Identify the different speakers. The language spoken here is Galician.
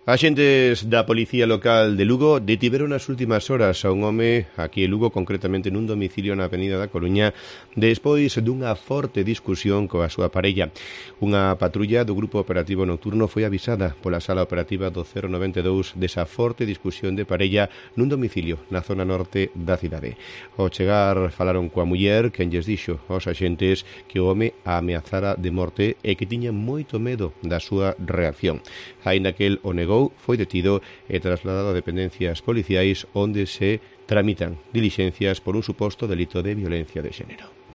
Speaker 1: Axentes da Policía Local de Lugo detiveron nas últimas horas a un home aquí en Lugo, concretamente nun domicilio na Avenida da Coruña, despois dunha forte discusión coa súa parella. Unha patrulla do Grupo Operativo Nocturno foi avisada pola Sala Operativa do 092 desa forte discusión de parella nun domicilio na zona norte da cidade. Ao chegar falaron coa muller, quen lles dixo aos axentes que o home a ameazara de morte e que tiña moito medo da súa reacción. Aínda que el o negou, foi detido e trasladado a dependencias policiais onde se tramitan dilixencias por un suposto delito de violencia de xénero.